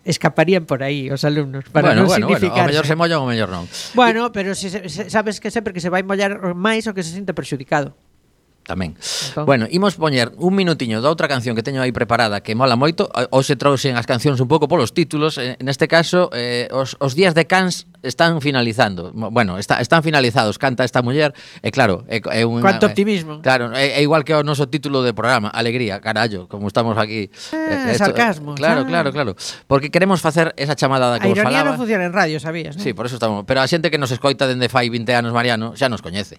Speaker 3: escaparían por aí os alumnos para non significar.
Speaker 2: O mellor se molla ou o mellor non.
Speaker 3: Bueno, pero si sabes que sempre que se vai mollar máis o que se sinta perxudicado.
Speaker 2: Tamén.
Speaker 3: Entón.
Speaker 2: Bueno, imos poñer un minutiño da outra canción que teño aí preparada que mola moito. Hoxe trouxen as cancións un pouco polos títulos. Neste caso, os días de Cans están finalizando. Bueno, están finalizados. Canta esta muller. E claro, é un
Speaker 3: Cuánto optimismo.
Speaker 2: Claro, é igual que o noso título de programa, Alegría, carallo, como estamos aquí.
Speaker 3: Sarcasmo.
Speaker 2: Claro. Porque queremos facer esa chamada da
Speaker 3: A
Speaker 2: que vos
Speaker 3: ironía
Speaker 2: falaba.
Speaker 3: non funciona en radio, sabías, non?
Speaker 2: Sí, por eso estamos. Pero a xente que nos escoita dende fai 20 anos, Mariano, xa nos coñece.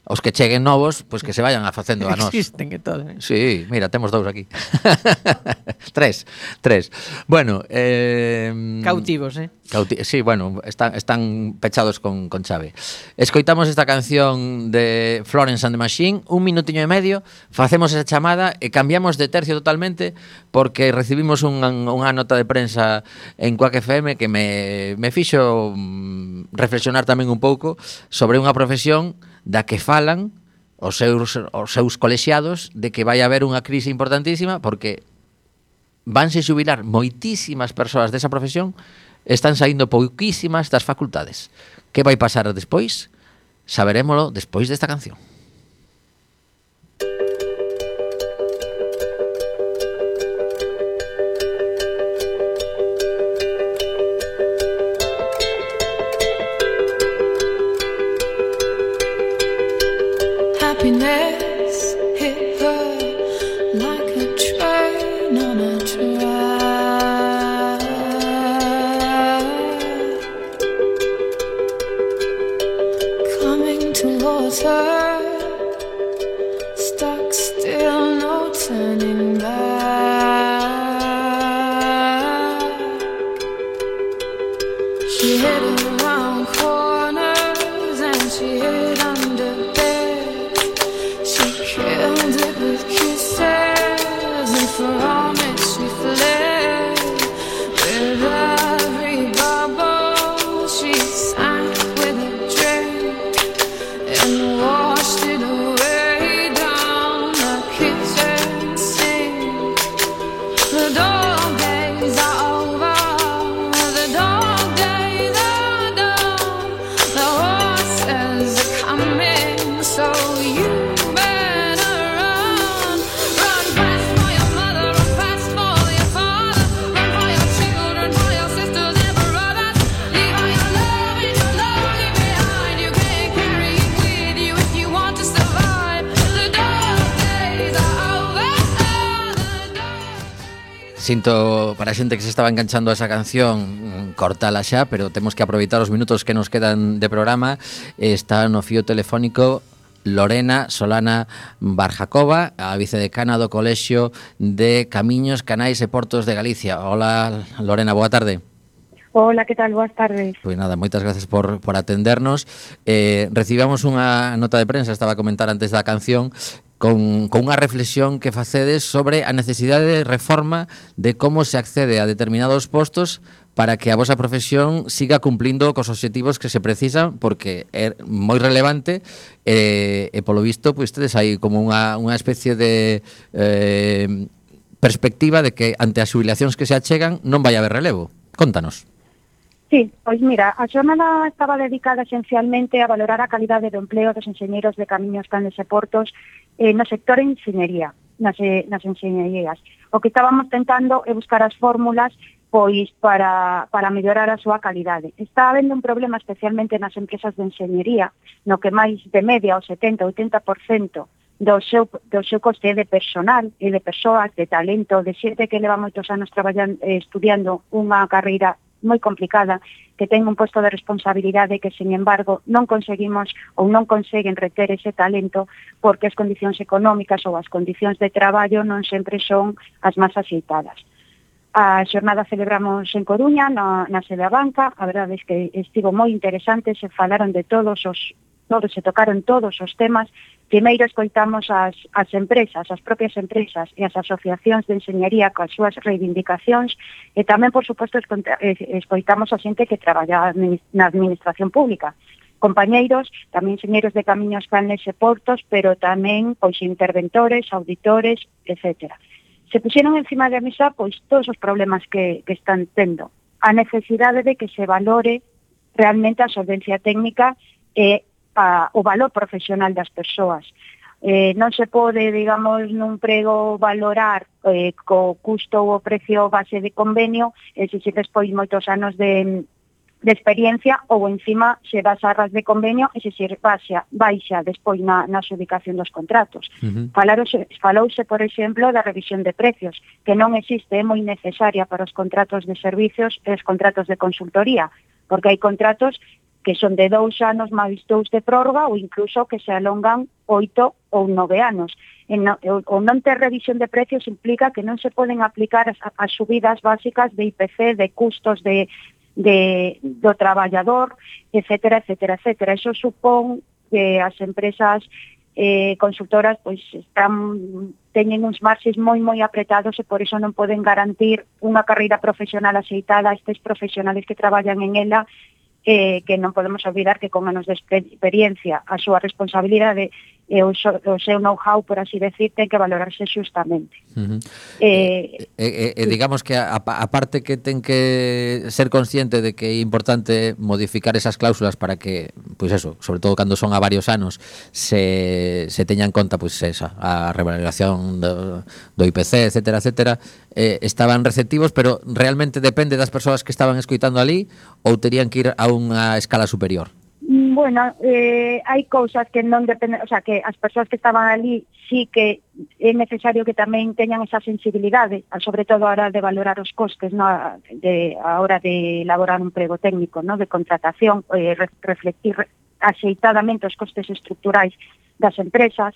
Speaker 2: Os que cheguen novos, pois que se vayan facendo a nós.
Speaker 3: Existen que todo.
Speaker 2: Sí, mira, temos dous aquí. Tres. Bueno,
Speaker 3: Cautivos,
Speaker 2: sí, bueno, están pechados con chave. Escoitamos esta canción de Florence and the Machine, un minutiño e medio, facemos esa chamada e cambiamos de tercio totalmente porque recibimos unha nota de prensa en Quack FM que me fixo reflexionar tamén un pouco sobre unha profesión da que falan os seus colexiados de que vai haber unha crise importantísima porque vanse xubilar moitísimas persoas desa profesión, están saindo pouquísimas das facultades. Que vai pasar despois? Saberémolo despois desta canción. Sinto para a xente que se estaba enganchando a esa canción cortala xa, pero temos que aproveitar os minutos que nos quedan de programa. Está no fío telefónico Lorena Solana Barjacova, a vicedecana do Colexio de Camiños, Canais e Portos de Galicia. Hola, Lorena, boa tarde.
Speaker 5: Hola, que tal? Boas tardes.
Speaker 2: Pois nada, moitas gracias por atendernos. Recibamos unha nota de prensa, estaba a comentar antes da canción, con unha reflexión que facedes sobre a necesidade de reforma de como se accede a determinados postos para que a vosa profesión siga cumplindo cos obxectivos que se precisan, porque é moi relevante e polo visto, pois tedes aí como unha especie de perspectiva de que ante as xubilacións que se achegan non vai haber relevo. Contanos.
Speaker 5: Sí, pois mira, a xornada estaba dedicada esencialmente a valorar a calidade do empleo dos enxeñeiros de camiños, canles e portos no sector de enxeñería, nas enxeñerías. O que estábamos tentando é buscar as fórmulas pois para mellorar a súa calidade. Está habendo un problema especialmente nas empresas de enxeñería, no que máis de media o 70-80% do seu coste de personal e de persoas, de talento, de xente que leva moitos anos traballando, estudiando unha carreira moi complicada, que ten un posto de responsabilidade que, sin embargo, non conseguimos ou non conseguen reter ese talento porque as condicións económicas ou as condicións de traballo non sempre son as máis axeitadas. A xornada celebramos en Coruña, na sede da banca. A verdade é que estivo moi interesante, se falaron de se tocaron todos os temas. Primeiro escoitamos as empresas, as propias empresas e as asociacións de enxeñería coas súas reivindicacións e tamén, por suposto, escoitamos a xente que traballa na administración pública. Compañeiros, tamén enxeñeiros de camiños, canles e portos, pero tamén pois interventores, auditores, etc. Se puxeron encima da mesa pois todos os problemas que están tendo. A necesidade de que se valore realmente a solvencia técnica e o valor profesional das persoas. Non se pode, digamos, nun prego valorar co custo ou o precio base de convenio se se despois moitos anos de experiencia ou encima se das arras de convenio e se baixa despois na adjudicación dos contratos. Falouse, por exemplo, da revisión de precios, que non existe, é moi necesaria para os contratos de servicios e os contratos de consultoría, porque hai contratos que son de 2 anos máis 2 de prórroga ou incluso que se alongan 8 ou 9 anos. O non ter revisión de precios implica que non se poden aplicar as subidas básicas de IPC, de custos do traballador, etcétera, etcétera, etcétera. Eso supón que as empresas consultoras pois teñen uns marxes moi apretados e por iso non poden garantir unha carreira profesional axeitada a estes profesionales que traballan en ela, que non podemos olvidar que con anos de experiencia a súa responsabilidade e o seu know-how, por así decir, ten que valorarse xustamente.
Speaker 2: Digamos que a parte que ten que ser consciente de que é importante modificar esas cláusulas para que, pois eso, sobre todo cando son a varios anos, se teña en conta pois esa, a revalorización do IPC, etcétera, etcétera, estaban receptivos, pero realmente depende das persoas que estaban escoitando ali ou terían que ir a unha escala superior?
Speaker 5: Bueno, hai cousas que non dependen, o sea, que as persoas que estaban ali sí que é necesario que tamén teñan esa sensibilidade, sobre todo a hora de valorar os costes, no, a hora de elaborar un prego técnico, no, de contratación, reflectir axeitadamente os costes estruturais das empresas,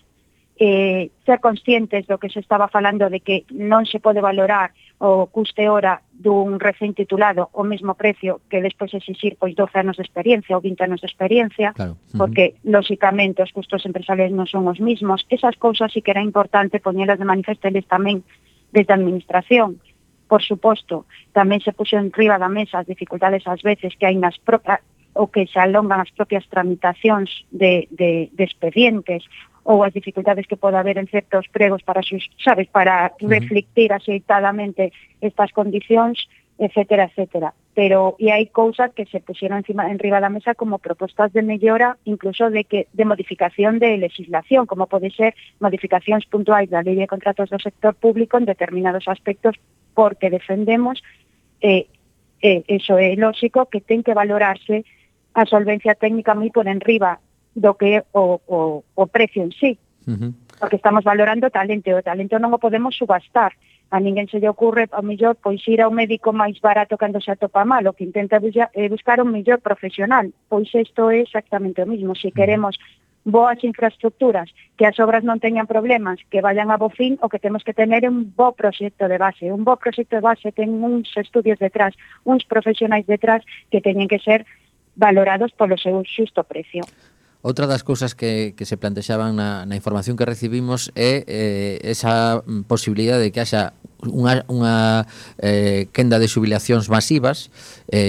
Speaker 5: ser conscientes do que se estaba falando de que non se pode valorar o custe hora dun recén titulado o mesmo precio que despois exixir pois 12 anos de experiencia ou 20 anos de experiencia, claro. Porque lóxicamente os custos empresariais non son os mismos. Esas cousas sí que era importante poñelas de manifesto eles tamén desde a administración. Por suposto, tamén se puxo en riba da mesa as dificultades ás veces que hai nas propias ou que se alongan as propias tramitacións de expedientes ou as dificultades que pode haber en certos pregos para reflectir axeitadamente estas condicións, etcétera, etcétera. Pero hai cousas que se puxeron en riba da mesa como propostas de mellora, incluso de modificación de legislación, como pode ser modificacións puntuais da Lei de Contratos do Sector Público en determinados aspectos, porque defendemos, eso é lógico, que ten que valorarse a solvencia técnica moi por enriba do que é o precio en sí. Porque estamos valorando talento, e o talento non o podemos subastar. A ninguén se lle ocurre, ao mellor, pois ir ao médico máis barato cando se atopa mal, o que intenta buscar un mellor profesional. Pois isto é exactamente o mismo. Se queremos boas infraestructuras, que as obras non teñan problemas, que vayan a bo fin, o que temos que tener é un bo proxecto de base. Un bo proxecto de base ten uns estudios detrás, uns profesionais detrás que teñen que ser valorados polo seu xusto precio.
Speaker 2: Outra das cousas que se plantexaban na información que recibimos é esa posibilidade de que haxa unha quenda de xubilacións masivas.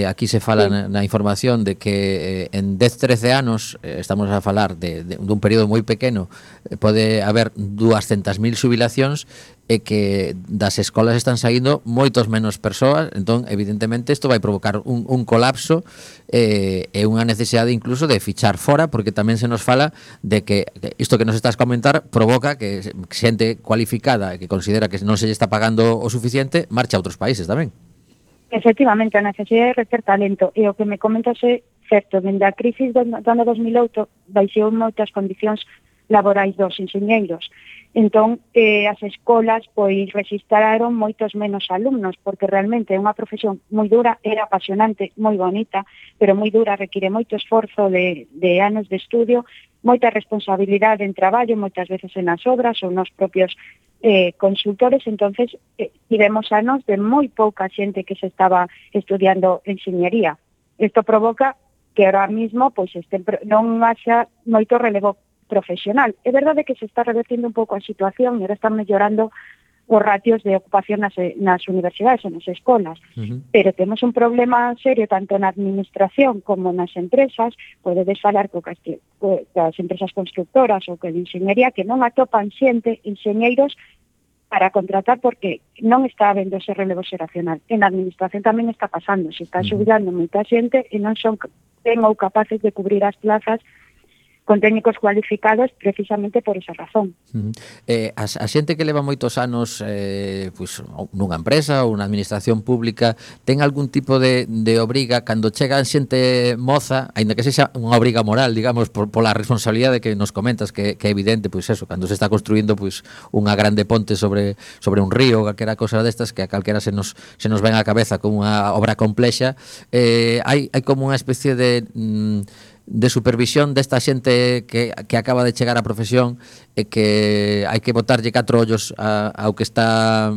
Speaker 2: Aquí se fala na información de que en 10-13 anos, estamos a falar dun período moi pequeno, pode haber 200.000 xubilacións e que das escolas están saindo moitos menos persoas. Entón, evidentemente, isto vai provocar un colapso e unha necesidade incluso de fichar fora, porque tamén se nos fala de que isto que nos estás comentar provoca que xente cualificada e que considera que non se lle está pagando o suficiente marcha a outros países tamén.
Speaker 5: Efectivamente, a necesidade de reter talento, e o que me comentas é certo. Dende a crisis do ano 2008 baixou moitas condicións laborais dos enxeñeiros. Entón, as escolas pois rexistraron moitos menos alumnos, porque realmente é unha profesión moi dura, era apasionante, moi bonita, pero moi dura, require moito esforzo de anos de estudio, moita responsabilidade en traballo, moitas veces en as obras ou nos propios consultores. Entonces, tivemos anos de moi pouca xente que se estaba estudiando enxeñería. Isto provoca que ahora mismo pois non haxa moito relevo profesional. É verdade que se está revertindo un pouco a situación e ahora están mellorando os ratios de ocupación nas universidades e nas escolas, pero temos un problema serio tanto na administración como nas empresas. Podedes falar coas empresas constructoras ou que de enxeñería que non atopan xente, enxeñeiros, para contratar porque non está habendo ese relevo xeracional. En a administración tamén está pasando, se está xubilando moita xente e non son ou capaces de cubrir as plazas con técnicos cualificados precisamente por esa razón.
Speaker 2: A xente que leva moitos anos pois, nunha empresa ou unha administración pública ten algún tipo de obriga cando chegan xente moza, aínda que sexa unha obriga moral, digamos, pola responsabilidade que nos comentas, que é evidente, pois eso, cando se está construindo pois unha grande ponte sobre un río, calquera cosa destas que a calquera se nos ven á cabeza como unha obra complexa, hai como unha especie de supervisión desta xente que acaba de chegar á profesión e que hai que botarlle 4 ollos ao que está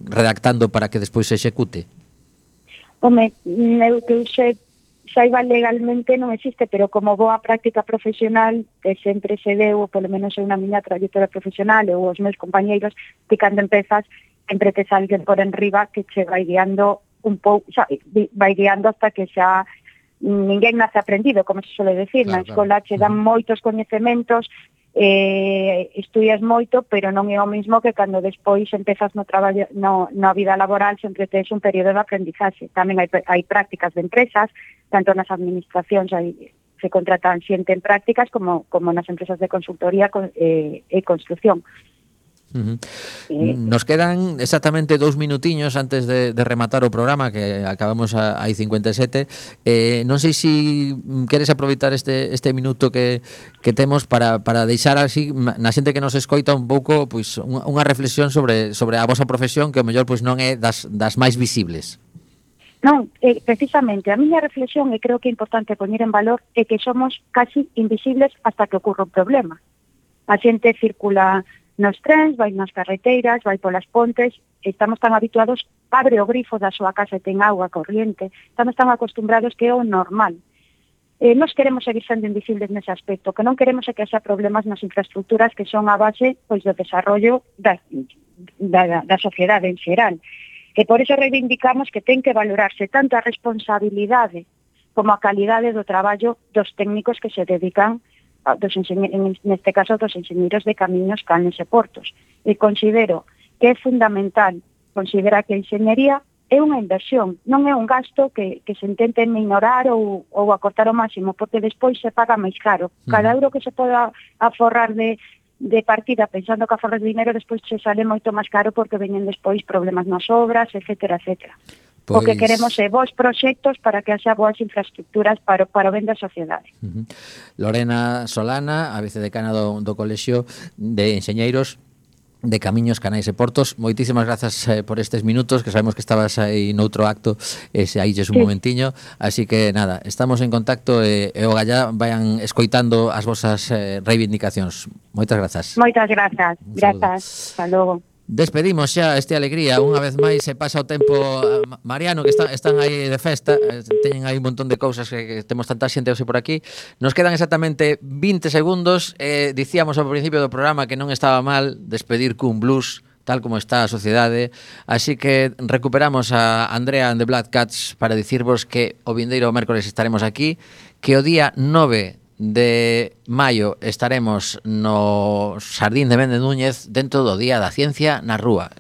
Speaker 2: redactando para que despois se execute?
Speaker 5: Home, eu que saiba legalmente non existe, pero como boa práctica profesional que sempre se deu, ou polo menos é unha miña trayectoria profesional ou os meus compañeiros, que cando empezas sempre te alguén por enriba que che vai guiando un pouco, vai guiando hasta que xa ninguén nace aprendido, como se suele decir. Claro, na escola che dan moitos coñecementos, estudias moito, pero non é o mismo que cando despois empezas no traballo, na vida laboral, sempre tes un período de aprendizaxe. Tamén hai prácticas de empresas, tanto nas administracións se contratan xente en prácticas como nas empresas de consultoría e construcción.
Speaker 2: Nos quedan exactamente 2 minutiños antes de rematar o programa, que acabamos aí 57. Non sei se queres aproveitar este minuto que temos para deixar así na xente que nos escoita un pouco pois unha reflexión sobre a vosa profesión, que o mellor pois non é das máis visibles.
Speaker 5: Non, precisamente, a miña reflexión, e creo que é importante poñer en valor, é que somos casi invisibles hasta que ocurre un problema. A xente circula nos trens, vai nas carreteiras, vai polas pontes, estamos tan habituados, abre o grifo da súa casa e ten agua corriente, estamos tan acostumbrados que é o normal. Nos queremos seguir sendo invisibles nese aspecto, que non queremos que haxa problemas nas infraestructuras que son a base pois do desarrollo da sociedade en xeral. E por iso reivindicamos que ten que valorarse tanto a responsabilidade como a calidade do traballo dos técnicos que se dedican neste caso dos enxeñeiros de camiños, canles e portos. E considero que é fundamental considerar que a enxeñería é unha inversión, non é un gasto que se intente minorar ou acortar ao máximo, porque despois se paga máis caro. Cada euro que se poda aforrar de partida pensando que aforras dinero, despois se sale moito máis caro porque veñen despois problemas nas obras, etcétera, etcétera. O que queremos é bons proxectos para que haxa boas infraestructuras para o ben da sociedade.
Speaker 2: Lorena Solana, a vicedecana do Colexio de Enxeñeiros, de Camiños, Canais e Portos. Moitísimas grazas por estes minutos, que sabemos que estabas aí noutro acto e se aí un momentiño, así que nada, estamos en contacto e o gallá vayan escoitando as vosas reivindicacións. Moitas grazas.
Speaker 5: Moitas grazas. Grazas. Hasta logo.
Speaker 2: Despedimos xa este Alegría. Unha vez máis se pasa o tempo. Mariano, que están aí de festa, teñen aí un montón de cousas que temos tanta xente hoxe por aquí. Nos quedan exactamente 20 segundos. Dicíamos ao principio do programa que non estaba mal despedir cun blues tal como está a sociedade, así que recuperamos a Andrea and the Black Cats para dicirvos que o vindeiro mércores estaremos aquí, que o día 9 de maio estaremos no Xardín de Méndez Núñez dentro do Día da Ciencia na Rúa.